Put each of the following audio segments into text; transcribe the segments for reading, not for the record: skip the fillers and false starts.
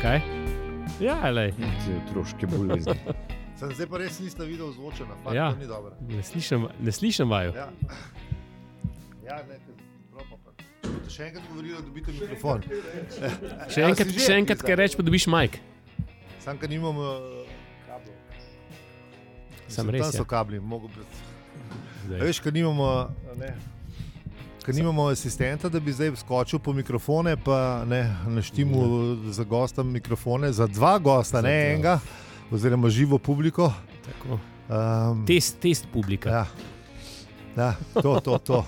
Kaj? Ja, lej. Otroške bolezni. Zdaj pa res niste videl zvočena, pa Ja. to ni dobro. Ne slišim vaju. Ja, boste še enkrat govorili, da dobite mikrofon. Še enkrat, kaj reč, pa dobiš majk. Sam, ker nimam kablov. Sam res, Tam so ja. kabli, mogo pred... Zdaj. Veš, ker nimamo asistenta, da bi zdaj skočil po mikrofone, pa naštimu za gosta mikrofone, za dva gosta, ne enega, oziroma živo publiko. Tako. Test publika. Ja, to.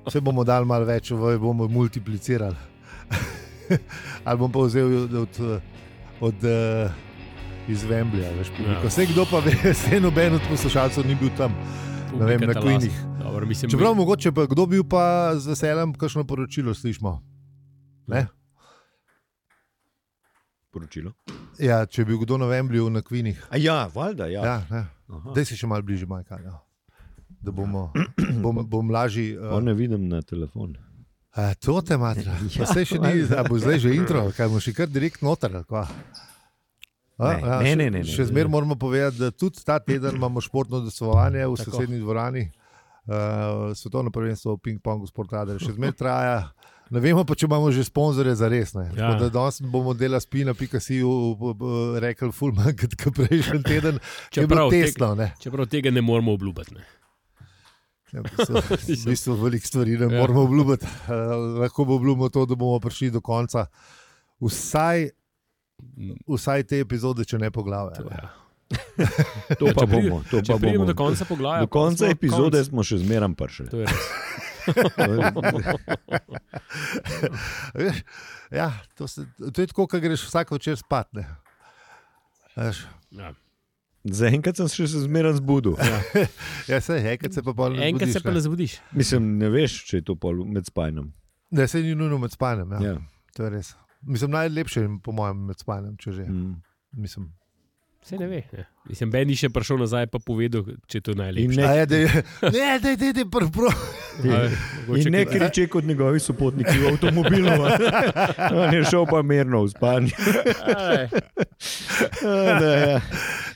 Vse bomo dali malo več, bomo multiplicirali. Ali bom pa vzel od iz Wembleya, veš, publiko. Vse kdo pa ve, vse noben od poslušalcev ni bil tam. Ne vem, na Queenih. Čeprav mogoče pa kdo bil pa z veseljem kakšno poročilo slišimo. Ne? Poročilo? Ja, če bi bil kdo na Wembleyu na Queenih. A ja, valjda, ja. Daj si še malo bližje, Majka. Ja. Da bom lažji. Ne vidim na telefon. To te matra. Pa se še ni, a bo zdaj že intro, kaj bomo še kar direkt noter. Ne. Še zmer moramo povedati, da tudi ta teden imamo športno udejstvovanje v sosednji dvorani. Svetovno prvenstvo v ping-pongu Sportradar še zmer traja. Ne vemo pa, če imamo že sponzorje za res. Ja. Danes bomo dela spina.si rekli ful manj kot prejšnji teden. Čeprav tega ne moramo obljubiti. V bistvu veliko stvari ne moramo obljubiti. Lahko bo obljubimo to, da bomo prišli do konca. Vsaj te epizode, če ne poglavja. To pa bomo. Če pridemo do konca poglavja. Do konca epizode smo še zmeram prišli. To je res. Ja, to je tako, ko greš vsak večer spat. Ja. Zaenkrat sem še zmeram zbudil. Ja, enkrat se pa pol ne zbudiš. Enkrat se pa ne zbudiš. Mislim, ne veš, če je to pol med spanjem. Ne, se ni nujno med spanjem. Ja. To je res. Mislim, najlepše po mojem med spanjem, če že. Mislim. Se ne ve. Ja. Mislim, Ben ni še prišel nazaj pa povedal, če je to najlepše. Ne, prvo. In ne kriče kot njegovi sopotniki v avtomobilu. On je šel pa mirno v spanje.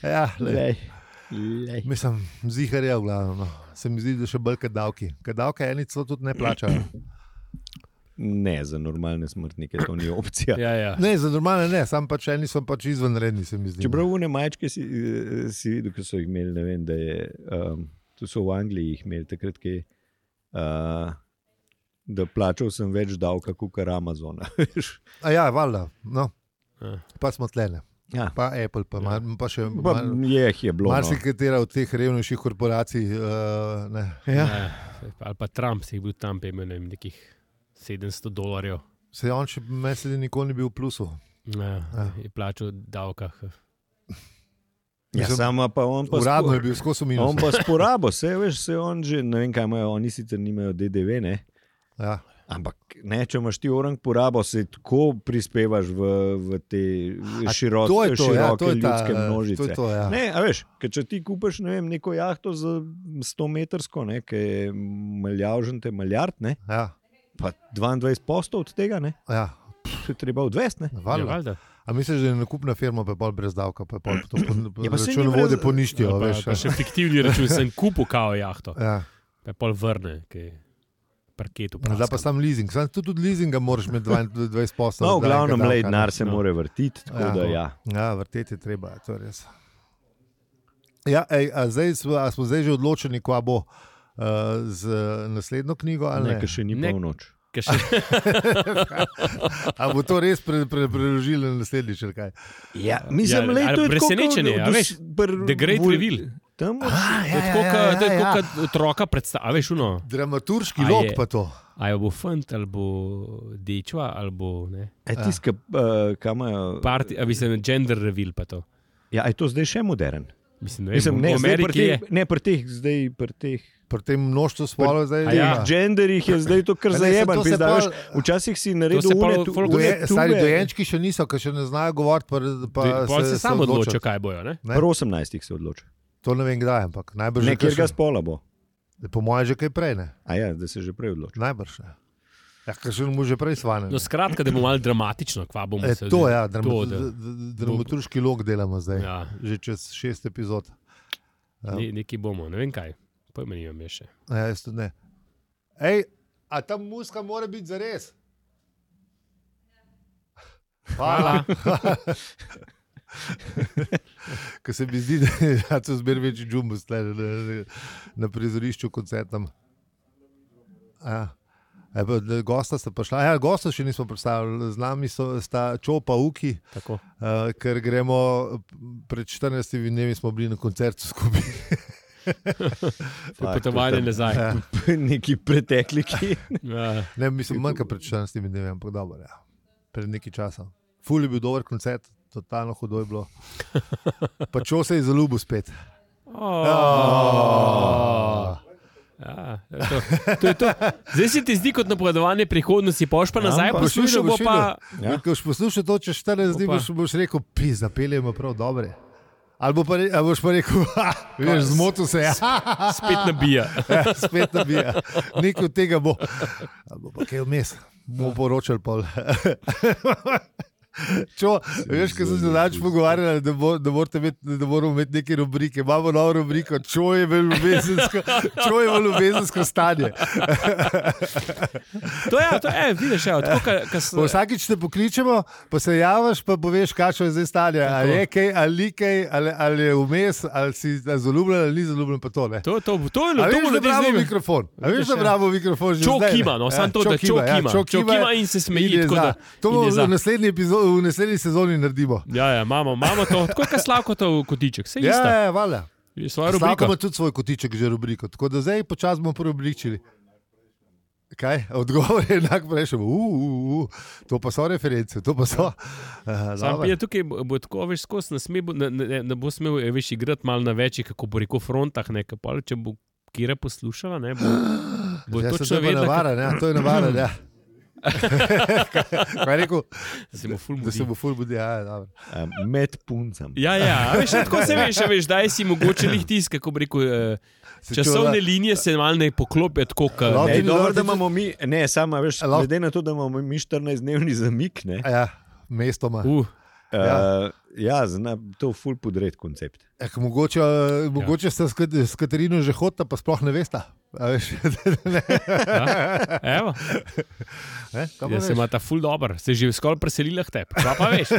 Ja, mislim, zihar je v glavu. No. Se mi zdi, da še bolj kot davki. Ker davke eni celo tudi ne plačajo. Ne, za normalne smrtnike to ni opcija. Ja. Ne, za normalne ne, sam pač eni so pač izvenredni, se mi zdi. Čeprav une majčke si videl, ko so jih imeli, ne vem, da je, tu so v Angliji jih imeli takrat, da plačal sem več davka kot Amazona. A ja, valjda, no. Pa smo tlene. Ja. Pa Apple, pa še je bilo. Marsikatera od teh revnejših korporacij. Ali pa Trump si bil tam, pa imel nekih $700. Se on še mesec nikoli ni bil v plusu. Je plačal davka. Ja, sama pa on pa uradno je bil skozi minus. On pa sporabo, se on že, ne vem kaj imajo, oni sicer nimajo DDV, ne? Ja. Ampak ne, če imaš ti orang porabo, se tako prispevaš v te široke ljudske množice. To, ja. Ne, a veš, če ti kupiš, ne vem, neko jahto za 100 metrsko, ne, ki je maljavžente maljard, ne? Ja. Pa 22% od tega, ne? Ja. Se treba odvesti, ne? Valjda. A misliš, da je nakupna firma pa pol brez davka, pa pol to računovode poništijo, veš? Pa še fiktivni račun, sem kupil kao jahto. Ja. Pa pol vrne, ki parketu praskam. Da pa sam leasing. Sam tudi leasinga moraš imeti 20%. No, v glavnem lej denar se more vrtiti, tako da ja. Ja, vrteti je treba, to je res. Ja, a smo zdaj že odločeni, kva bo z naslednjo knjigo, ali ne? Ne, ker še ni polnoč. A bo to res preložili na naslednjič, ali kaj? Ja, mislim, lej, to je presenečenje, a veš, The Great Reveal. To je tako, kot otroka predstavlja, veš, uno. Dramaturški lok pa to. A jo bo fant, ali bo dečva, ali bo, ne. Tiska, kam je... A mislim, gender reveal pa to. Ja, je to zdaj še modern? Mislim, ne, pri teh... Pri tem množstvu spolov zdaj... Ja, genderih je zdaj to kar zajeban. Včasih si naredil stari dojenčki še niso, ker še ne znajo govoriti. Pa se samo odločijo, kaj bojo, ne? Pri 18 se odločijo. To ne vem kdaj, ampak najbrž... Nekjerga spola bo. Po moje že kaj prej, ne? A ja, da se že prej odločijo. Najbrž, ne. Ja, ker še mu že prej svanem. No, skratka, da bomo malo dramatično, kva bomo se... To, ja, dramaturški log delamo zdaj, že čez 6 epizod. Nekaj bomo, ne vem kaj, pojma nimam je še. Ja, jaz tudi ne. Ej, a ta muska mora biti zares? Hvala. Ko se mi zdi, da so zmer večji džumbus na prizorišču koncertom. Ja. Gosta sta prišla. Ja, gosta še nismo predstavili. Z nami sta Čopa Uki, ker gremo pred 14 dnevi smo bili na koncertu skupaj. Potovanje nazaj. Ja. Neki pretekliki. Ne, mislim, manjka pred 14 dnevi, ampak dobro. Ja. Pred nekaj časa. Ful je bil dober koncert, totalno hudo je bilo. Pa Čo se je zaljubil spet. Ja, to je to. Zdaj se ti zdi kot napovedovanje prihodnosti, poš pa nazaj poslušal bo pa... Ko boš poslušal to, čez 14 dni boš rekel, zapeljemo prav dobre. Ali boš pa rekel, veš, zmotil se je. Spet nabija. Spet nabija. Nekaj od tega bo. Ali bo pa kaj vmes. Bomo poročali pol. Čo, veš, ko sem se danes pogovarjala, da moramo imeti neke rubrike. Imamo novo rubriko, Čo je v ljubezensko stanje. To je, vidiš, vsakič te pokličemo, pa se javaš, pa poveš, kakšno je zdaj stanje. Ali je kaj, ali kaj, ali je vmes, ali si zaljubljen, ali ni zaljubljen, pa to ne. To je veš, da bravo mikrofon. A veš, da bravo mikrofon že zdaj. Čo kima, no, sam to, da Čo kima in se smeji. To bomo v naslednji epizodi, v naslednji sezoni naredimo. Ja, imamo to, tako je Slavko to kotiček, vse isto. Ja, valjda. Slavko ima tudi svoj kotiček, že rubriko, tako da zdaj počas bomo preobličili. Kaj? Odgovor je enak prejšel. To pa so reference, to pa so. Sam je tukaj, bo tako, veš, skos, ne bo smel, veš, igrati malo na večjih, kako bo rekel, frontah, nekaj, če bo Kira poslušala, ne, bo točno vedela. To je navaren, ja. Kaj je rekel? Da se bo ful budi. Med puncem. Ja, veš, tako se veš, daj si mogoče lih tisk, kako bi rekel, časovne linije se malo ne poklopijo tako, dobro, da imamo mi, ne, samo, veš, glede na to, da imamo mi 14-dnevni zamik, ne. Ja, mestoma. Ja, to je ful podred koncept. Mogoče sta s Katarino že hodila, pa sploh ne vesta. Evo. Ja, se ima ta ful dober, se je že skoraj preselila k tebi. Pa veš.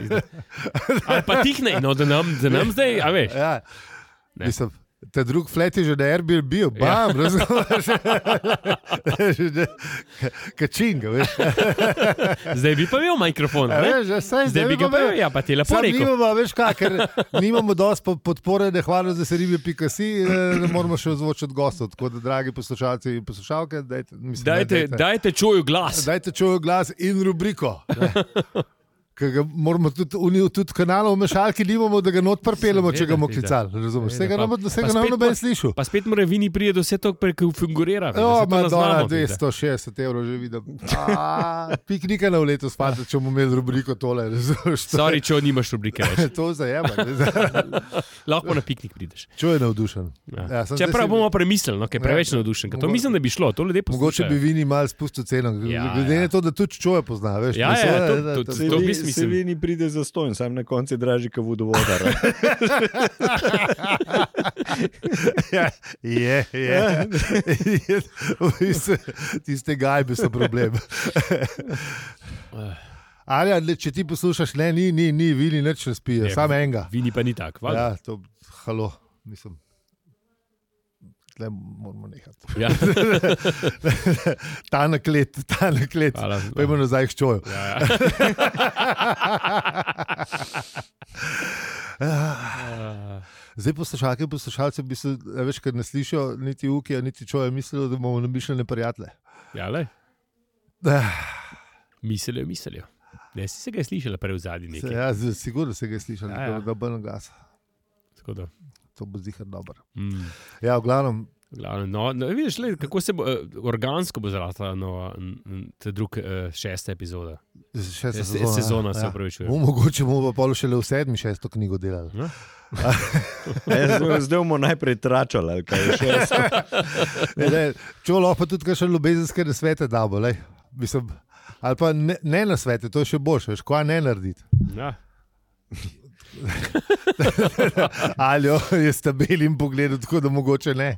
Ali pa tih ne, no, da nam zdaj, a veš. Ja, mislim. Ta drug flat je že na Airbnb, bam, razumeš? Kačinga, veš. Zdaj bi pa imel mikrofon, ne? Zdaj bi ga pa imel, ja, pa ti lepo rekel. Nimamo, veš kaj, ker nimamo dosti podpore, ne hvala za seribe.si, ne moramo še ozvočiti gostov, tako da, dragi poslušalci in poslušalke, dajte Čoju glas. Dajte Čoju glas in rubriko. Moramo tudi kanalov mešalki nimamo, da ga not pripeljamo, če ga bomo klicali. Razumeš? Vsega nam noben slišal. Pa spet mora Vini prije do vse to prekonfigurira. Madonna, 260 € že vidim. Piknika na v letu spati, če bomo imeli rubriko tole. Sorry, Čo, nimaš rubrike več. To zajema. Lahko na piknik prideš. Čo je navdušen. Čeprav bomo premislili, no, kaj preveč navdušen. To mislim, da bi šlo, to ljudje poslušajo. Mogoče bi Vini malo spustil ceno. Glede na to, da tudi Čoja pozna. Se Vini pride za stojn, sam na konci draži ka vodovodar. Tiste gajbe so problem. Ali, če ti poslušaš, ne, ni, Vini nič ne spije, samo enega. Vini pa ni tak, valjda. Ja, to, halo, mislim. Tle moramo nehati. Ja. Ta naklet. Pojmo nazaj k Čoju. Zdaj poslušalke in poslušalce bi se, veš, ker ne slišijo niti Ukija, niti Čoja, mislijo, da bomo namišljene prijatelje. Ja, lej. Mislijo. Ne, si se ga je slišala prej v zadnji nekaj. Ja, sigurno se ga je slišala, da bo glas. Tako da. To bo zihar dober. Ja, v glavnem. No, vidiš, kako se bo organsko bo zrasla ta drug 6. epizoda. 6. sezona se upravičuje. Mogoče bomo pa šele v 7. 6. knjigo delali. Zdaj bomo najprej tračali, ali kaj je 6. Čo lahko tudi kakšne ljubezenske nasvete damo, lej. Mislim, ali pa ne na svete, to je še boljše, veš, kva ne narediti. Ja. Aljo je stabilen pogled, tako da mogoče ne.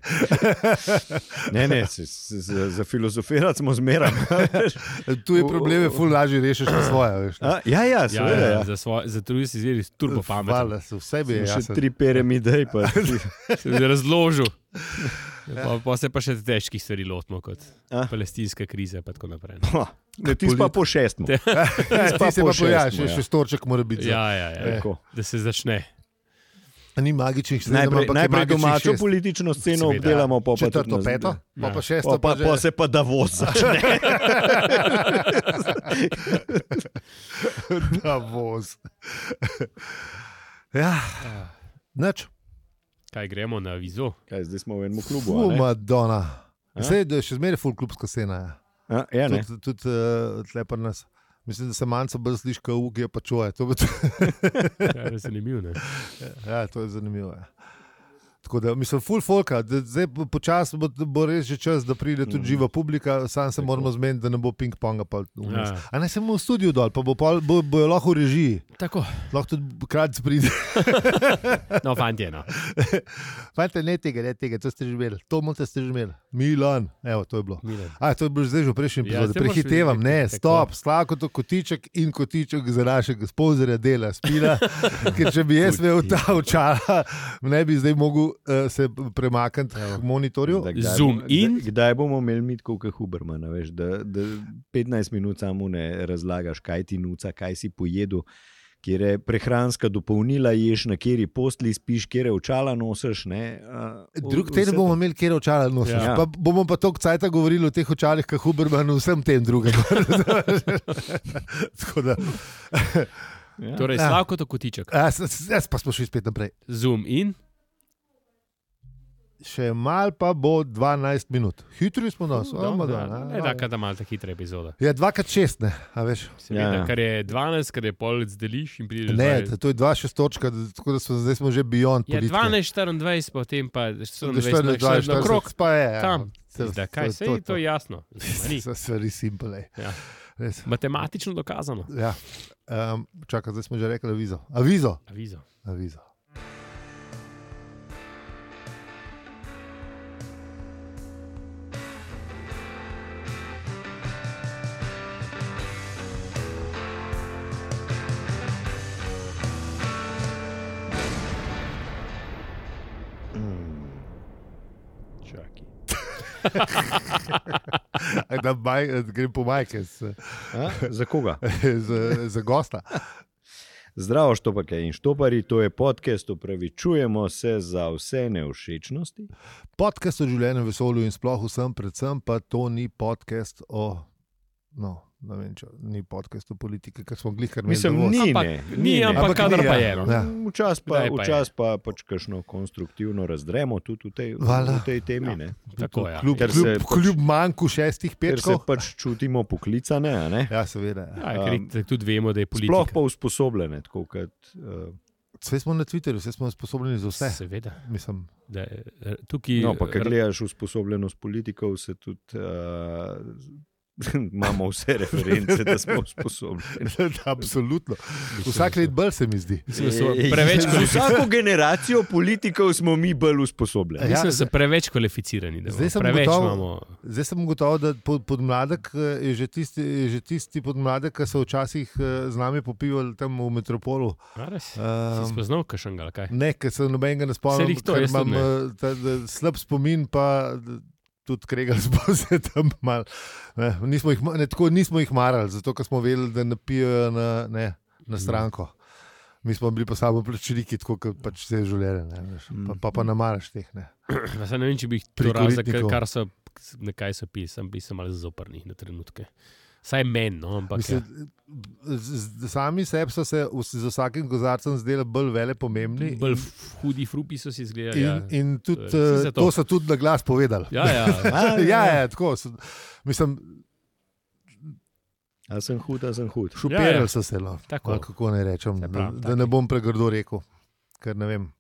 Ne, za filozofirati smo zmeraj. Tu je probleme, ful lažje rešiš na svoje. Veš, ja, seveda. Ja. Za drugi si zeli turbo pametno. Hvala, vse bi je jasno. Še 3 piramide. Se bi razložil. Pa se pa še težkih stvari lotimo, kot palestinska kriza in tako naprej. Ne, ti pa po 6. Ti se pa pojaš, še storček mora biti. Ja. Da se začne. Ni magičnih stvari. Najprej domačo politično sceno obdelamo, pa četrto, peto, pa šesto. Pa se pa Davos začne. Davos. Ja, nič. Kaj gremo na Avizo? Kaj, zdaj smo v enem klubu. Madonna. Zdaj je še zmeraj full klubska scena. Ja, ne. Tudi tle pri nas. Mislim, da se manjca bolj sliši, kot Ugi je pa čuje. Ja, je zanimivo, ne? Ja, to je zanimivo. Tako da, mislim, full folka. Zdaj počasi bo res že čas, da pride tudi živa publika, sam se moramo zmeniti, da ne bo ping-ponga. A ne samo v studiu dol, pa bojo lahko v režiji. Tako. Lahko tudi krat pride. No, fantje, no. Fantje, ne tega, to ste že imeli. To ste že imeli. Milan, evo, to je bilo. To je bilo zdaj že v prejšnjem epizodu. Prehitevam, ne, stop, Slavko to Kotiček in Kotiček za našega sponzorja dela Spina, ker če bi jaz imel ta očala, ne bi zdaj mogel se premakniti k monitorju. Zoom in? Kdaj bomo imeli Mitko Hubermana, veš, da 15 minut samo ne razlagaš, kaj ti nuca, kaj si pojedel, kjer je prehranska dopolnila, ješ, na kjeri postli spiš, kjer je očala nosiš. Drug teden bomo imeli, kjer je očala nosiš. Ja. Pa bomo pa toliko cajta govorili o teh očalih, kot Huberman, vsem tem drugem. Tako da... Torej, Slavko to Kotiček. Jaz pa smo šli spet naprej. Zoom in? Še mal pa bo 12 minut. Hitri smo nas. Da malo ta hitra epizoda. Ja, 2x6, ne, a veš. Seveda, kar je 12, kar je polec deliš in prideš. Ne, to je 2-6 točka, tako da zdaj smo že beyond politike. 12-24, potem pa 24 na krok. Pa je. Tam. Kaj se je, to je jasno. Stvari simple. Matematično dokazano. Ja. Čakaj, zdaj smo že rekli Avizo. Grem po majke. Za koga? Za gosta. Zdravo, Štopake in Štopari, to je podcast, opravičujemo se za vse nevšečnosti. Podcast o življenju, vesolju in sploh vsem, predvsem pa to ni podcast o... Ne vem, če ni podcast o politike, ker smo glihkar imeli. Ampak kadar pa je. Včas pa pač kakšno konstruktivno razdremo tudi v tej temi. Tako je. Kljub manjku 6 petkov. Ker se pač čutimo poklicane. Ja, seveda. Tudi vemo, da je politika. Sploh pa usposobljene. Vse smo na Twitterju, vse smo usposobljeni za vse. Seveda. Mislim. No, pa kad gledaš usposobljenost politikov, se tudi... imamo vse reference, da smo usposobljeni. Absolutno. Vsak let bolj se mi zdi. Vsako generacijo politikov smo mi bolj usposobljeni. Mislim, da so preveč kvalificirani. Zdaj sem gotovo, da podmladek je že tisti podmladek, ki so včasih z nami popivali tam v Metropolu. Si spoznal kakšnega, kaj? Ne, ker se nobenega ne spomnim, ker imam slab spomin, pa... Tudi kregali smo se tam malo. Nismo jih marali, zato ker smo vedeli, da napijajo na stranko. Mi smo bili pa samo plačniki, tako kot pač vse življenje. Pa ne maraš teh. Ne vem, če bi jih to razlika, kaj so pisali, bi se malo zoprni na trenutke. Saj meni, ampak... Sami sebi so se z vsakim kozarcem zdeli bolj vele pomembni. Bolj hudi frupi so si izgledali. In tudi, to so tudi na glas povedali. Ja, tako. Mislim... A sem hud. Šuperili so se, kako ne rečem. Da ne bom pregrdo rekel, ker ne vem.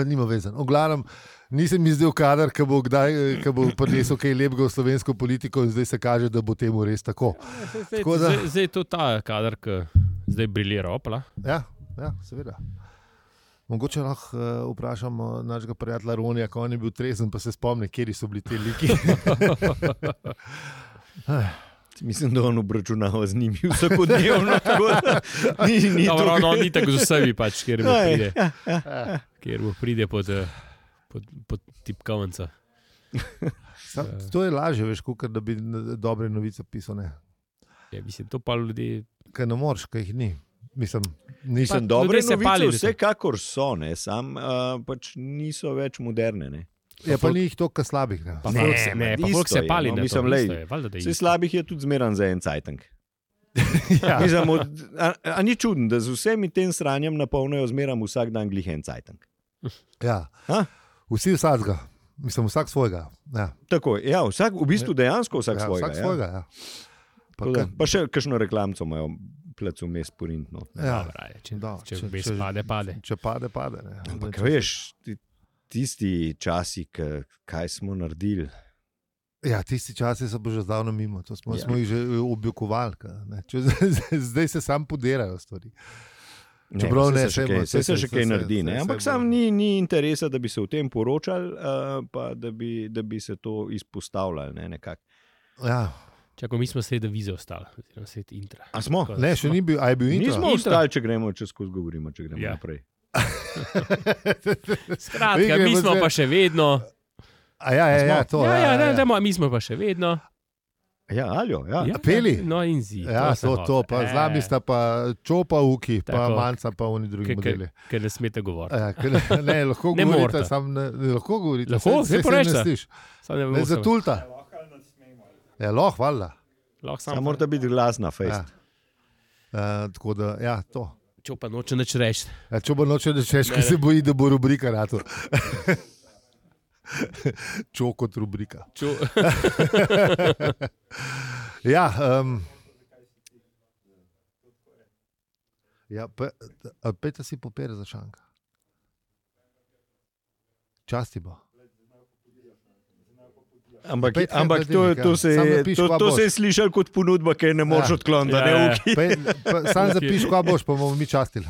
Nima vezan. V glavnem, nisem mi zdel kader, ki bo prinesel kaj lepega v slovensko politiko in zdaj se kaže, da bo temu res tako. Zdaj je to ta kader, ki zdaj briljira opla. Ja, seveda. Mogoče lahko vprašamo našega prijatelja Ronija, ko on je bil trezen, pa se spomni, kjeri so bili te liki. Mislim, da on obračunava z njimi vsakodnevno. Ni tako z vsemi, pač, kjer bo pride pod tipkavnica. To je lažje, veš, kot da bi dobre novice pisal. Ja, mislim, to pa ljudi... Kaj ne moreš, kaj jih ni. Mislim, dobre novice vsekakor so, sam pač niso več moderne, ne. Ja, pa ni jih toliko slabih. Pa folk se pali. Vse slabih je tudi zmeran za en cajtank. Mislim, a ni čuden, da z vsemi tem sranjem napolnajo zmeram vsak dan glih en cajtank. Ja, vsi vsakega. Mislim, vsak svojega. Ja. Tako, ja, v bistvu dejansko vsak svojega. Vsak svojega, ja. Pa še kakšno reklamco imajo plac vmes porintno. Ja. Če pade. Če pade. Ne. Ampak veš, tisti časi, kaj smo naredili. Ja, tisti časi so že zdavno mimo. To smo jih že objokovali. Zdaj se sam podirajo stvari. Vse se še kaj naredi. Ampak sam ni interesa, da bi se o tem poročali, pa da bi se to izpostavljali nekako. Ja. Čako, mi smo sredi vize ostali, sredi intra. A smo? Ne, še ni bil, a je bil intro? Nismo ostali, če gremo, če skozi govorimo, če gremo naprej. Skratka, mi smo pa še vedno. Mi smo pa še vedno. Ja, Aljo, ja. Peli? No in zi. Ja, to pa z nami sta pa Čopa, Uki, pa Manca, pa oni drugi modeli. Ker ne smete govoriti. Ne, lahko govorite, lahko govorite. Lahko, zdaj porečete. Ne zatulta. Ja, lahko, hvala. Samo morate biti glasna, fejst. Tako da, ja, to. Čopa noče nič reči. Čopa noče nič reči, ker se boji, da bo rubrika nato. Čo kot rubrika. Ja, pejte si papir za šanka. Časti bo. Ampak to se je slišal kot ponudba, ki ne moreš odkloniti. Sam zapiš, kva boš, pa bomo mi častili.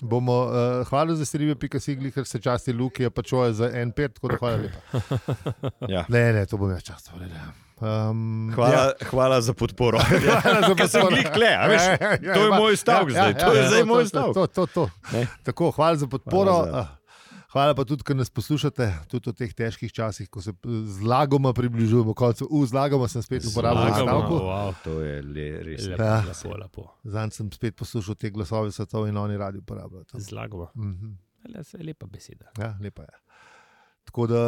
Bomo hvala za serive.sigli, ker se časti Luki, pa čoje za N5, tako da hvala lepa. Ja. Ne, to bom jaz častil. Hvala za podporo. Ker sem glih tle, a veš, to je moj stavek zdaj. To je zdaj moj stavek. To. Tako, hvala za podporo. Hvala pa tudi, ker nas poslušate, tudi v teh težkih časih, ko se zlagoma približujemo koncu. Zlagoma sem spet uporabil stavku. Wow, to je res lepo. Zanj sem spet poslušal te glasove svetov in oni radi uporabljajo. Zlagoma. Lepa beseda. Ja, lepa je. Tako da...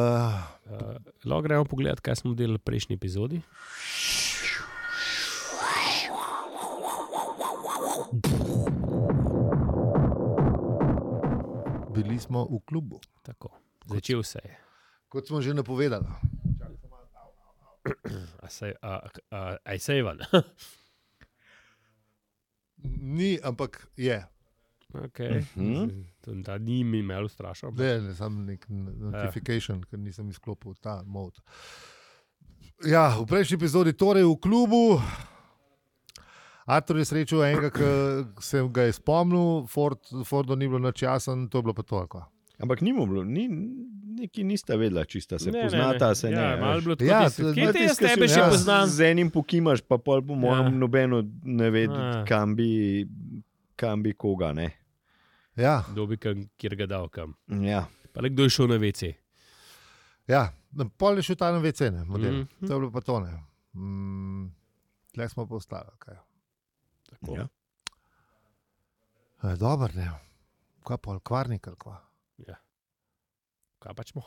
Lahko gremo pogledati, kaj smo delali v prejšnji epizodi. Bili smo v klubu. Tako, začel se je. Kot smo že napovedali. Aj se je van? Ni, ampak je. Okay. Da ni mi imel strašno. Ne, samo nek notification, ker nisem izklopil ta mod. Ja, v prejšnji epizodi torej v klubu. Artur je srečal enega, ki sem ga je spomnil, Fordo ni bilo nič jasen, to je bilo pa to. Ampak ni mu bilo, neki nista vedela, čista se poznata, se ne. Ja, malo bilo tako, kje te jaz tebe še poznam? Z enim pokimaš, pa pol po mojem nobeno ne vedi, kam bi koga, ne. Ja. Kdo bi kjer ga dal kam. Ja. Pa le kdo je šel na WC. Ja, pol je šel ta na WC, ne, model. To je bilo pa to, ne. Tle smo pa ostali, kaj. Ja. Dobar, ne. Kaj pol, kvarnik ali kva? Ja. Kaj pač mo?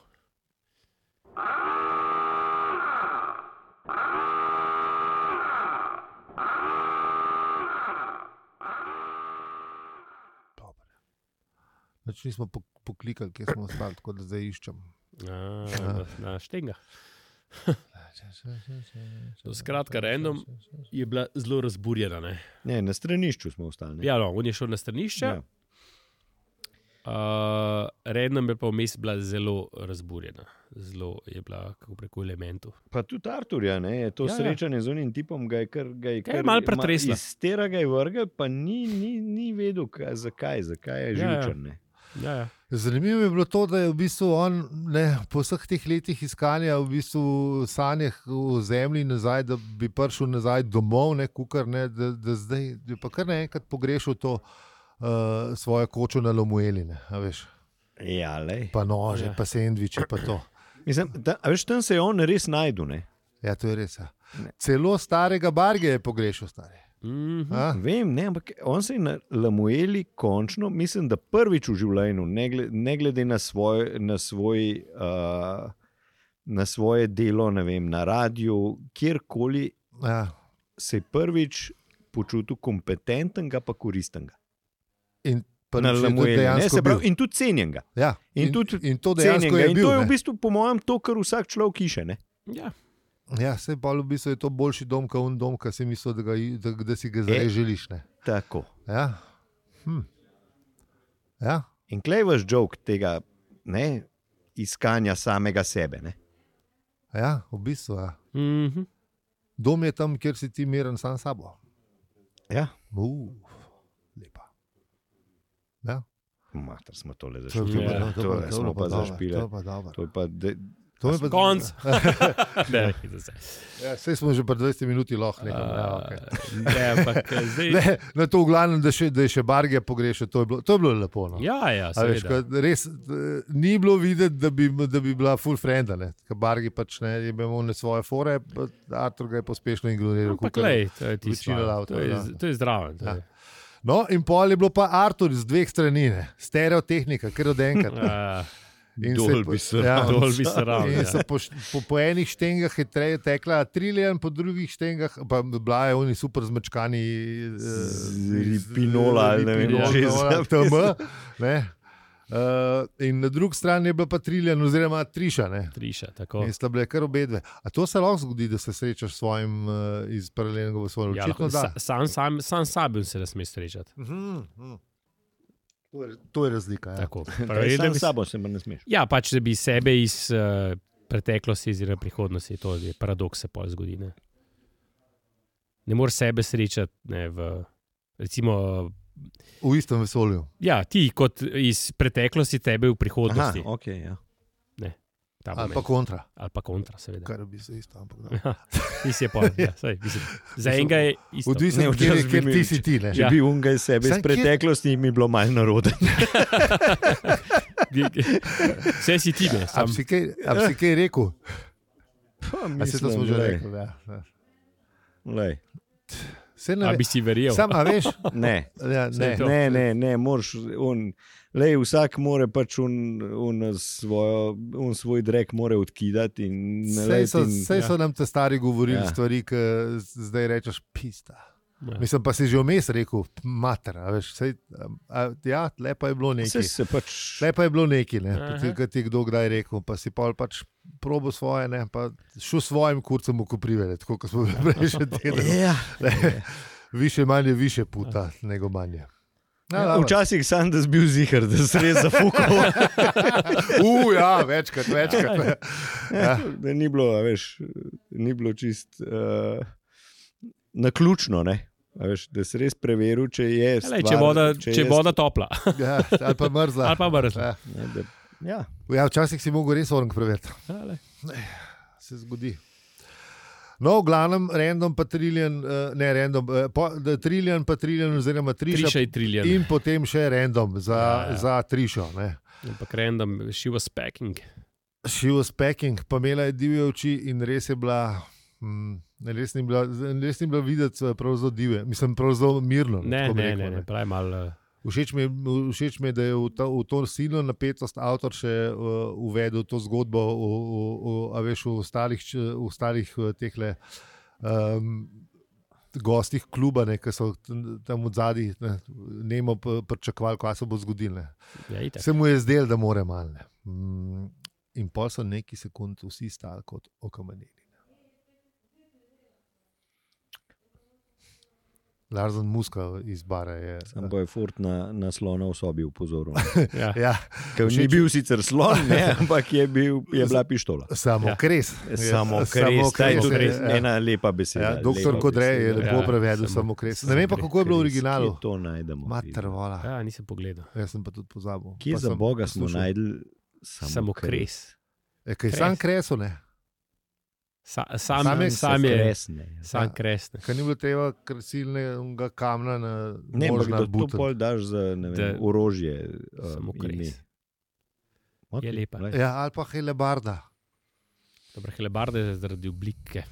Dobar. Več nismo poklikali, kje smo ostali, tako da zdaj iščem. Na Štenga. Skratka, random je bila zelo razburjena. Ne, na stranišču smo ostali. Ja, no, on je šel na stranišče. Random je pa vmes bila zelo razburjena. Zelo je bila, kako preko elementov. Pa tudi Arturja, ne, je to srečanje z unim tipom, ga je kar malo pretresla. Iz tera ga je vrgel, pa ni vedel, zakaj je živčen. Ne. Ja. Zanimivo je bilo to, da je v bistvu on po vseh teh letih iskanja v bistvu sanjah v zemlji nazaj, da bi prišel nazaj domov, da zdaj je pa kar naenkrat pogrešal to svojo kočo na Lomueli. Ja, lej. Pa nože, pa sendviče, pa to. Mislim, tam se je on res najdu. Ne? Ja, to je res. Ja. Celo starega Barge je pogrešal stari. Vem, ne, ampak on se je na Lamueli končno, mislim, da prvič v življenju, ne glede na svoje delo, ne vem, na radiju, kjerkoli, se je prvič počutil kompetentnega pa koristnega. In na Lamueli, in tudi cenjenega. Ja, in to dejansko je bil. In to je v ne? bistvu, po mojem, to, kar vsak človek išče. Ja, se pa v bistvu je to boljši dom, kot dom, ki si mislil, da si ga zdaj želiš. Ne? Tako. Ja. Ja. In klej vaš joke tega iskanja samega sebe. Ne? Ja, v bistvu. Ja. Dom je tam, kjer si ti miren sam s sabo. Ja. Lepa. Ja. Mater, smo tole zašpili. To smo pa zašpili. To je pa... Konc. Sej smo že pa 20 minuti lahko. Okay. To v glavnem, da je še Barge pogrešal, to je bilo lepo. No. Ja, seveda. Res ni bilo videti, da bi bila full frienda. Ker Barge pač je imel svoje fore, Artur ga je pospešno ignoriral. To je zdravo. Ja. No, in pol je bilo pa Artur z dveh strani, stereotehnika, ker od enkrat. Dolbi se ravno. Po enih štengah je tekla Trillian, po drugih štengah pa bila je oni super zmečkani Pinola ali ne vem, in na drugi strani je bila pa Trillian oziroma Triša. Triša, tako. In sta bile kar obedve. A to se lahko zgodi, da se srečaš s svojim iz paralelnega v svojem očitno? Sam sabim se ne sme srečati. To je razlika. Ja. Sam s sabo se ne smeš. Ja, pač da bi sebe iz preteklosti oziroma prihodnosti, to je paradoks se pol zgodi. Ne moreš sebe srečati recimo v istem vesolju. Ja, ti kot iz preteklosti, tebe v prihodnosti. Aha, okay, ja. Ali pa kontra. Ali pa kontra, seveda. Kar bi se isto, ampak Tis je pol, za enega je isto. Odvisno od tega, kjer ti si ti. Če bi unga iz sebe iz preteklosti, mi bilo malo naroden. Vse si ti, ne? A bi si kaj rekel? A se to smo že rekli, ja. Lej. A bi si verjel? Sam, a veš? Ne, moraš vsak more pač svoj drek more odkidati. Sej so nam te stari govorili stvari, ki zdaj rečeš pista. Ja. Mislim, pa si že vmes rekel, mater, veš, lepa je bilo nekaj. Lepa je bilo nekaj, ki ti kdo kdaj rekel, pa si pač probo svoje, pa šel svojim kurcem v koprive, tako kot smo prej še delali. Više manje, više puta, nego manje. Včasih sem da bil zihar, da se res zafukal. Ja, večkrat. Ja. Ni bilo čist naključno, veš, da si res preveril, če je stvar. Če je voda topla. Ja, ali pa mrzla. Ja. Ja, včasih si mogel res orang preveriti. Se zgodi. No, v glavnem, Random pa Trillian, Trillian pa Trillian oziroma Triša in potem še Random za Trišo. Ampak Random, she was packing. She was packing, pa imela je divje oči in res je bila, res ni bila videti prav zelo divje. Mislim, prav zelo mirno. Ne, pravi malo... Všeč mi je, da je v to silno napetost avtor še uvedel to zgodbo v ostalih tehle gostih kluba, ki so tam od zadaj nemo pričakovali, kaj se bo zgodilo. Se mu je zdelo, da more malo. In pol so neki sekund vsi stali kot okameneli. Larsen Muska iz bara je. Sam bo je Ford na slona v sobi upozoril. Ja. Ker ni bil sicer slon, ne, ampak je bila pištola. Samokres. Samokres, ta je tudi ena lepa beseda. Doktor Kodrej je lepo prevedel samokres. Ne vem pa, kako je bilo v originalu. Kje to najdemo? Mater vola. Ja, nisem pogledal. Jaz sem pa tudi pozabil. Kje za Boga smo najdli samokres? Kaj sam kresu, ne? Sam je sam kresne. Kaj ni bilo tega silnega kamna na ne, možna to pol daš za orožje. Samokres. Okay, je lepa. Ja, ali pa helebarda. Dobro, helebarda je zaradi oblike.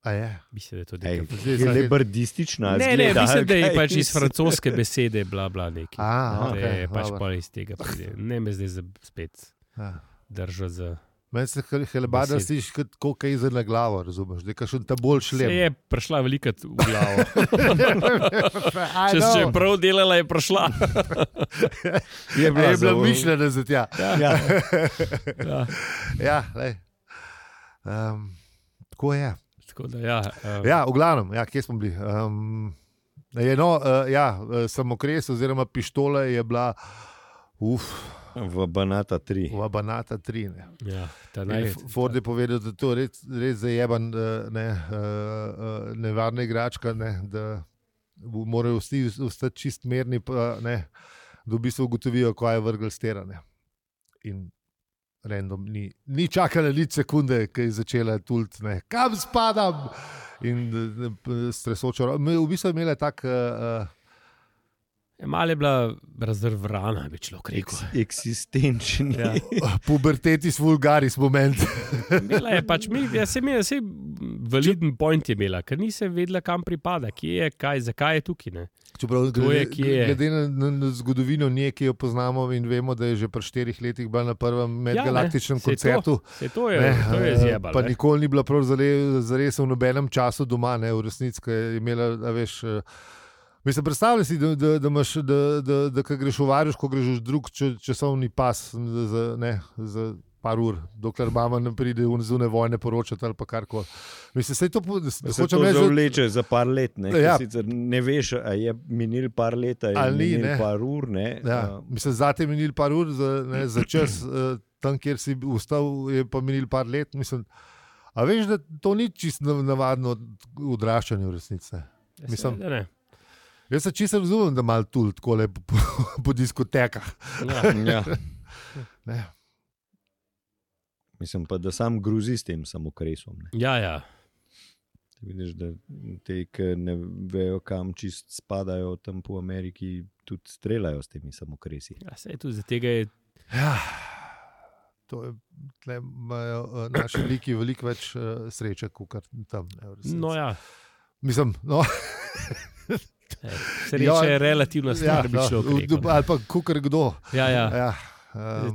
A je? Mislim, da je to nekaj. Helebardistična. Ne, mislim, da je pač iz francoske besede bla bla neki. Okay, je pač pol iz tega. Ne me zdaj spet držo za... Meni se helebarda sliš kot kaj za na glavo, razumeš? Da je kakšen ta bolj šlem. Se je prišla velikrat v glavo. Če je prav delala, je prišla. Je bila mišljena za tja. Ja, lej. Tako je. Tako da, ja, v glavnem, kje smo bili? Samokres oziroma pištola je bila v Banata 3. V Banata 3, ne. Ja, Ford je povedal, da to res zajeban nevarna igračka, ne, da morajo vsi ostati čist merni, ne, da v bistvu ugotovijo, kaj je vrgel stera. Ne. In random ni čakala nič sekunde, ki je začela tuliti, ne, kam spadam? In stresočo. V bistvu je imela tak... Malo je bila razrvrana, bi človek rekel. Eksistenčni. Ja. Pubertetis vulgaris moment. Imela je pač, validen point je imela, ker ni se vedela, kam pripada, kje je, zakaj je tukaj. Ne? Čeprav, glede na zgodovino nje, ki jo poznamo in vemo, da je že pri 4 letih bila na prvem medgalaktičnem koncertu. To je zjebalo. Pa nikoli ni bila prav zares v nobenem času doma, ne, v resnici, ki je imela, veš... Mislim, predstavljaj si, da ko greš v Varuško, greš v drug časovni pas za par ur, dokler mama ne pride v zunaj vojne poročati ali pa karkoli. Mislim, se to zavleče za par let, ne? Ja. Sicer ne veš, a je minil par leta in minil par ur. Ne? Ja. Mislim, zate je minil par ur, za čas tam, kjer si ustal, je pa minil par let. Mislim, a veš, da to ni čisto navadno odraščanje v resnici. Mislim, da ne. Jaz se čisto razumem, da malo tul takole po diskotekah. Ja. Mislim pa, da sam gruzi s tem samokresom. Ne? Ja. Vidiš, da te, ki ne vejo, kam čist spadajo tam po Ameriki, tudi streljajo s temi samokresi. Ja, sej tudi za tega je... Ja, to je, tle imajo naši liki veliko več sreče, kot tam. No ja. Mislim, no... Sreča je relativna stvar, bi človek rekel. Ali pa kukar kdo. Ja.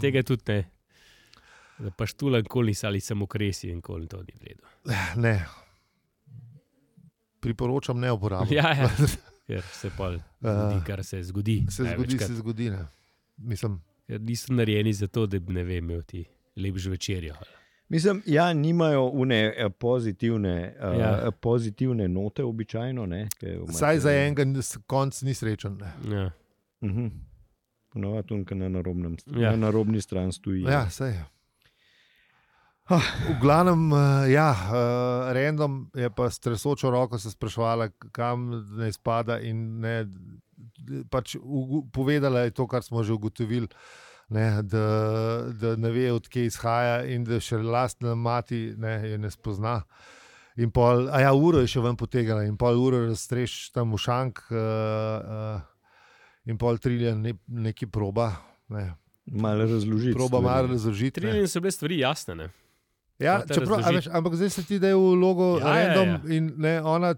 Tega tudi ne. Da pa štulan kolis ali samokresi in koli to ni vredo. Ne. Priporočam ne uporabljati. Ja. Ker se pa zgodi, kar se zgodi. Se zgodi, ne. Mislim. Ker niso narejeni za to, da ne vem, imel ti lepš večerjo. Mislim, nimajo une pozitivne note običajno. Ne, saj za enega konc ni srečen. Ne. Ja. Ponovno, na narobni strani stoji. Ja, saj je. V glavnem, random je pa s tresočo roko se spraševala, kam ne spada in ne, pač povedala je to, kar smo že ugotovili. Ne, da ne ve, od kje izhaja in da še lastna mati je ne spozna. In pol, uro je še ven potegala in pol uro razstreš tam v šank in pol Trillian neki proba. Ne. Malo razložiti. Proba malo razložiti. Trillian so bile stvari jasne, ne? Ja, ampak zdaj se ti da je v logo random in ne, ona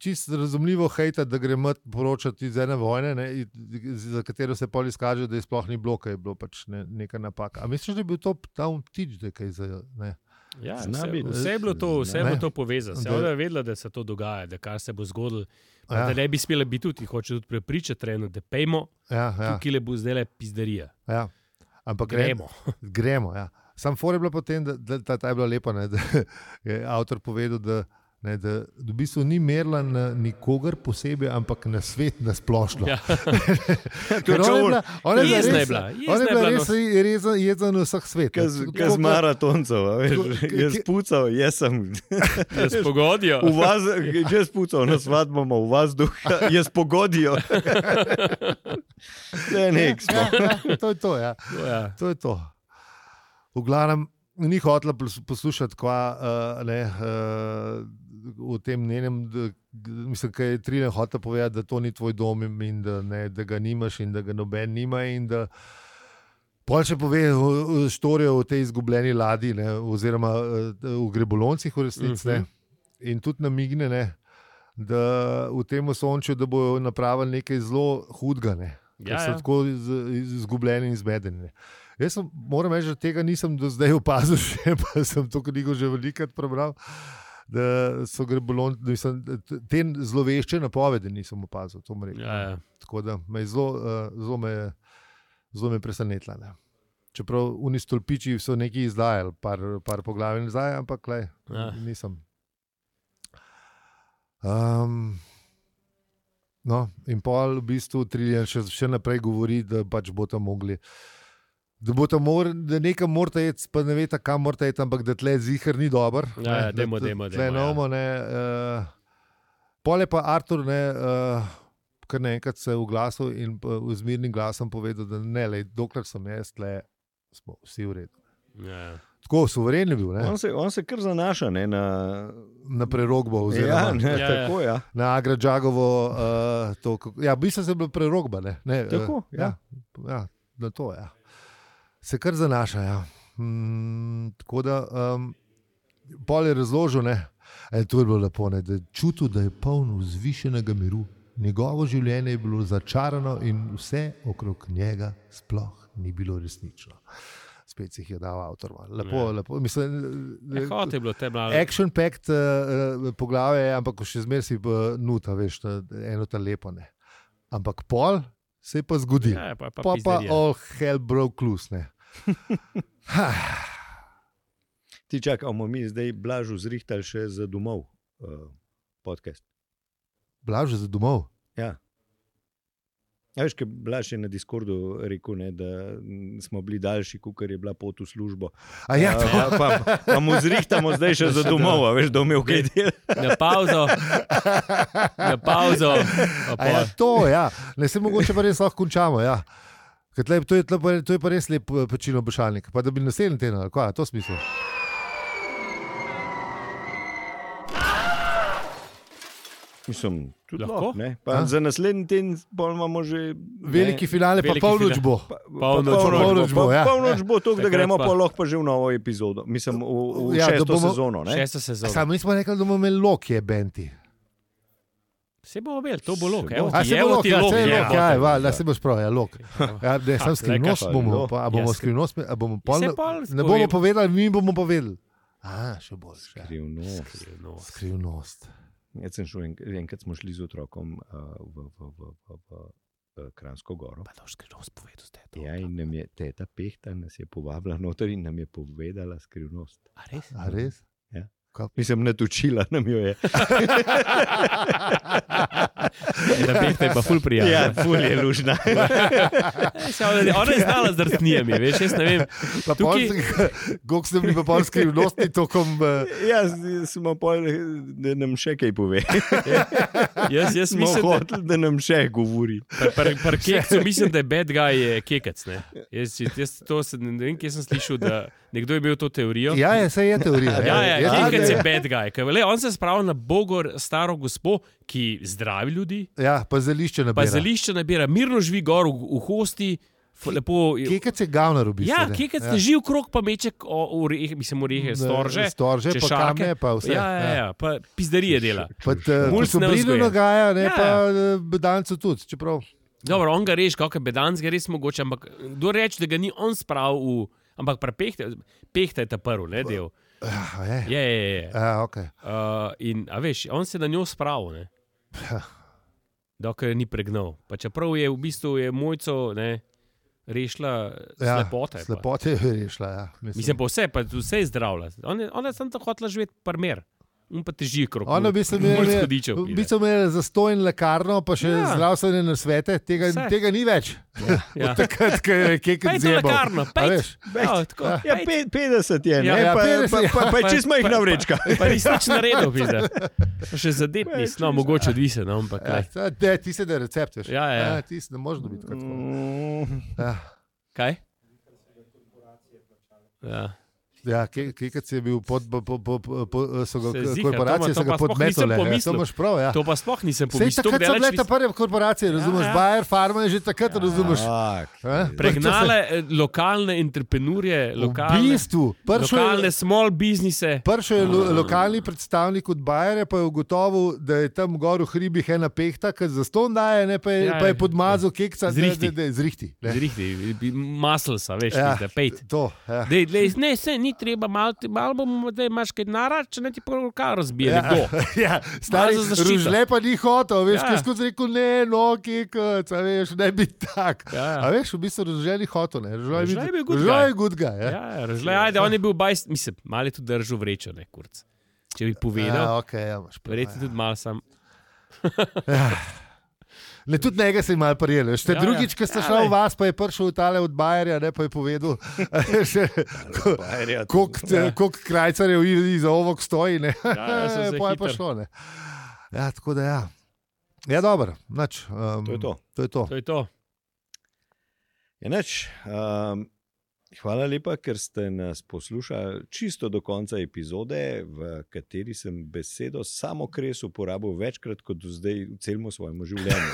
čisto razumljivo hejta, da gre mat poročati iz ene vojne, ne, za katero se pol izkaže, da je sploh ni bilo, kaj je bilo pač neka napaka. A misliš, da je bil to tam vtič, da je kaj za... Ne? Ja, vse je bilo to povezano. Vse je vedela, da se to dogaja, da kar se bo zgodilo. Da ne bi smela biti tudi, hoče tudi prepričati treno, da pejmo, tukaj le bo zdaj le pizderija. Ja, ampak gremo, ja. Sam for je bilo potem, da ta je bila lepa, ne, da je avtor povedal, Ne, da v bistvu ni merila na nikogar posebej, ampak na svet nasplošno. Ja. Ona je bila res jezna na vseh svet. Kaj z maratoncev, jaz pucal, jaz sem. Jaz pogodijo. Jaz pucal, na svadbo v vas duha, jaz pogodijo. To je to, ja. To je to. V glavnem, ni hotela poslušati, v tem njenem, mislim, kaj je Trine hotela povedati, da to ni tvoj dom in da ga nimaš in da ga noben nima in da pol še pove štorijo o tej izgubljeni ladji, ne, oziroma v Greboloncih v resnici, in tudi namigne, ne, da v tem Osončju, da bojo napravili nekaj zelo hudega, ne, ker so tako izgubljeni in zmedeni. Jaz moram reči, da tega nisem do zdaj opazil še, pa sem to knjigo že velikokrat prebral, da so Grebolonci, te zlovešče napovedi nisem opazil, to rekel. Tako da me je zelo me presenetila. Ne. Čeprav oni stolpiči so nekaj izdajali, par poglavij nazaj, ampak nisem. No, in pol v bistvu Triljan še naprej govori, da pač bodo mogli, da nekam morate jeti, pa ne veste, kam morate jeti, ampak da tle zihar ni dober. Demo. Pol je pa Artur, kar naenkrat se je oglasil in z mirnim glasom povedal, da ne, dokler sem jaz, tle smo vsi v redu. Tako, suveren je bil. On se kar zanaša, ne, na prerogbo. Tako, ja. Na Agradžagovo. V bistvu se je bila prerogba. Ne. Tako, ja. Na to, ja. Se kar zanaša, ja. Tako da, pol je razložil, ne. To je bilo lepo, ne, da je čutil, da je poln vzvišenega miru. Njegovo življenje je bilo začarano in vse okrog njega sploh ni bilo resnično. Spet si jih je dal avtor. Lepo. Mislim, je bilo te malo. Action-packed poglavje, ampak še zmeraj si nuta, veš, eno ta lepo, ne. Ampak pol se je pa zgodil. Pa all hell broke loose, ne. Ti čakamo mi zdaj Blažu zrihtali še za domov podcast. Blažu za domov? Ja. Ja, veš, kaj Blaž je na Discordu rekel, ne, da smo bili daljši, kakor je bila pot v službo. Pa mu zrihtamo zdaj še za domov, veš, da imel kaj del. Na pauzo. To, ja. Ne se mogoče pa res lahko končamo, ja. To je pa res lep pečino bošalnik. Pa da bi naslednji teden, ali kaj, to smisel. Mislim, tudi lahko, ne. Pa za naslednji teden imamo že veliki finale, pa polnoč bo. Polnoč bo to, da gremo pa lahko pa že v novo epizodo. Mislim, v šesto sezono, ne. Šesto sezono. Samo nismo rekli, da bomo imeli Lokije benti. Se bomo imeli, to bo Lok. Se boš prav, Lok. Sam skrivnost bomo, a bomo skrivnost, a bomo pol, ne bomo povedali, mi bomo povedali. Še bolj. Skrivnost. Enkrat smo šli z otrokom v Kranjsko goro. Pa to skrivnost povedal ste. Ja, in nam je teta Pehta nas je povabila noter in nam je povedala skrivnost. A res? Ja. Mislim, natučila nam jo je. Da Pehta je pa ful prijatelj. Ja, ful je lužna. Ona je znala z rastnijami, veš, jaz ne vem. Gok ste bili pa pol skrivnostni tokom... Ja, smo pol, da nam še kaj pove. Jaz smo hoteli, da nam še govori. Par kekcu mislim, da je bad guy kekec, ne. Jaz to ne vem, kje sem slišal, da nekdo je imel to teorijo. Ja, saj je teorija. Kekec je bad guy. On se spravi na Bogor staro gospo, ki zdravi ljudi. Ja, pa zelišče nabira. Mirno živi gor v hosti. Kekec je gavnar v bistvu. Ja, kekec ne živi v krog, pa meče orehe, storže, pa kame, pa vse. Ja, pa pizdarije dela. Pa so blizu nagaja, ne, pa bedancu tudi, čeprav. Dobro, on ga reš, kakor bedanc ga res mogoče, ampak kdo reče, da ga ni on spravil v... Ampak Pehta je ta prvi, ne, del. Je. Okay. In, a veš, on se na njo spravil, ne. Dokler ni pregnal. Pa čeprav je v bistvu Mojco, ne, rešila slepote. Slepote je rešila, ja. Mislim, pa vse je zdravila. Ona je samo tako hotela živeti primer. pa teži krok. Ono bi se imeli zastojn lekarno, pa še zdravstvene nasvete, tega ni več. Ja. Takrat, ko je kekec zjebal. Lekarno, pejt. Ja, 50 je, ne? Ja, Pa je čist majhna vrečka. Pa nisi nič naredil, pizda. Pa še zadet nisi, no, mogoče odvisen, ampak kaj. Ti se da recept, veš. Ja. Ti se ne možeš dobiti kot tako. Kaj? Ja. Ja, kekec je bil korporacije so ga to pa podmetale. To imaš prav, ja. To pa sploh nisem Sej pomislil. takrat so bile ta prve korporacije, razumeš, Bayer, Pharma je že takrat, razumeš. Pregnale lokalne entreprenurje, lokalne small businesse. Prišel je lokalni predstavnik od Bayerja, pa je ugotovil, da je tam gor v hribih ena pehta, ki zastonj daje, pa je podmazal kekca z rihti. Maslsa, veš, pejt. To, ja. Ne, ni treba, malo bomo, da imaš kaj narad, če ne ti pa rokar razbije, nekdo. Ja, stari, Rožle pa ni hotel, veš, kaj skozi rekel, ne, no, kekec, veš, ne bi tak. A veš, v bistvu Rožle ni hotel, ne, Rožle je good guy. Ja, Rožle, ajde, on je bil mislim, malo je tudi držal vrečo, ne, kurc. Če bi povedal, verjetno tudi malo sam. Ne, tudi njega se je malo prijeli. Drugič, ko ste šli v vas, pa je prišel v tale od Bayerja, ne, pa je povedal, koliko krajcarjev iza ovog stoji, ne. Pa je pa šlo, ne. Ja, tako da ja. Ja, dobro, nič. To je to. Ja, nič. Hvala lepa, ker ste nas poslušali čisto do konca epizode, v kateri sem besedo samokres uporabil večkrat kot do zdaj v celem svojem življenju.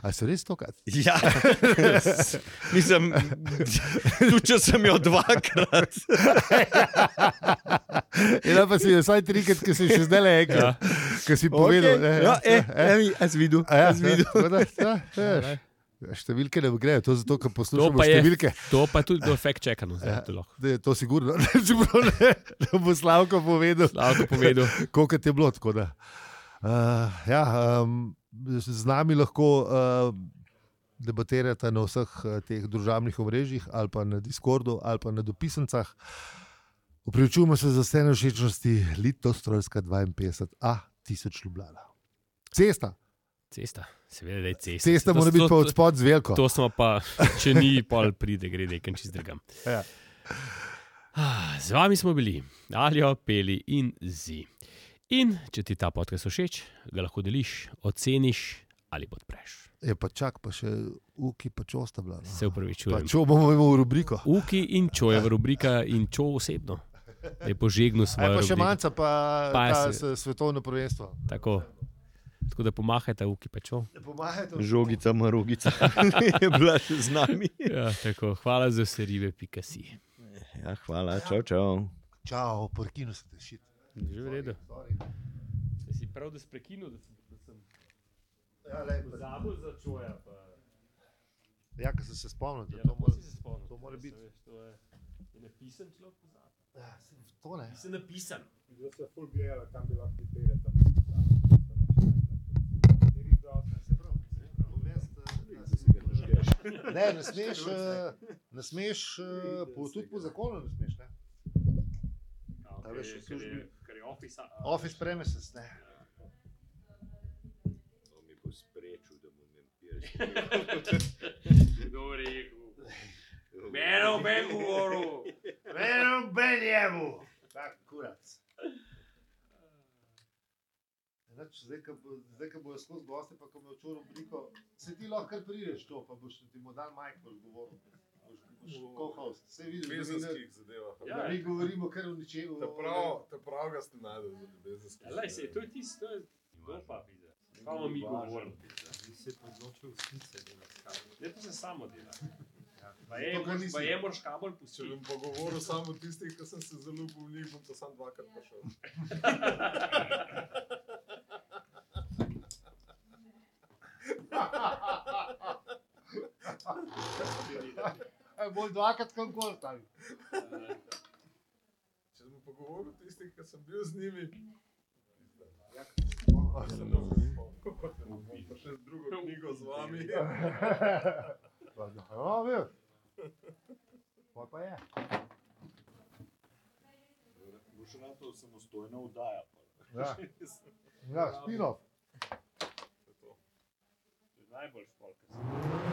A se res tokrat? Ja, mislim, tudi če sem jo dvakrat. Ja, pa si jo vsaj trikrat, ki si še zdaj rekel, ki si povedal. Jaz videl. Številke ne grejo, to zato, ker poslušamo številke. To pa je tudi do fact checkano. To sigurno, da bo Slavko povedal. Koliko je bilo, tako da. Z nami lahko debatirate na vseh teh družabnih omrežjih ali pa na Discordu ali pa na dopisancah. Opravičujemo se za vse nevšečnosti. Litostrojska 52A 1000 Ljubljana. Cesta, seveda da je cesta. Cesta mora biti pa od spod z veliko. To smo pa, če ni, pol pride, gre nekaj čist drugam. Ja. Z vami smo bili Aljo, Peli in Zi. In če ti ta podcast všeč, ga lahko deliš, oceniš ali podpreš. Pa čak, pa še Uki pa Čo sta bila. Se upravičujem. Pa Čo bomo imeli v rubriko. Uki in Čo je v rubrika in Čo osebno. Da je požegnil svojo rubriko. Pa še manjca pa svetovno prvenstvo. Tako da pomahajte Uki pa Čo. Žogica, marogica je bila še z nami. Ja, tako, hvala za vse ribe.si. Ja, hvala, čau. Čau, porkinu se te šit. Že v redu. Si prav, da si prekinul, da sem zabil za Čoja. Ja, ko sem se spomnil, da to mora biti. Je napisan človek pozabil. Ja, to ne. Nisem napisan. Da se ful gledala, kam bi lahko pripere tam. Ne, ne smeš, tudi po zakonu ne smeš, ne? Ker je office premises, ne? To mi bo sprečil, da mu mempiraš. Kdo rekel? Meno ben govoril. Meno ben jemu. Tak kurac. Zdaj, ko bojo skozi goste, pa ko bojo čuro obliko, se ti lahko kar prideš to, pa boš ti mu dan Mike govoril. Boš co-host. Se vidiš, Bezenskih zadevah. Da mi govorimo kar v ničemu. Te prav ga ste najdel za bezenskih. Lej se, to je tisto, to je gopa, pizda. Samo mi govorimo, pizda. Vi se podločil snice delati. Ne, to se samo dela. Pa je moraš kabel pustiti. Če bom pogovoril samo tistih, ki sem se zaljubil v njih, bom to sam dvakrat prišel. Bolj dvakrat konkol tam. Če sem pogovoril tistih, ki sem bil z njimi, bom pa še drugo knjigo z vami. Ja, veš. Pa je. boš ratov samostojno vdaja. Ja, spin-off. To je najbolj špolka.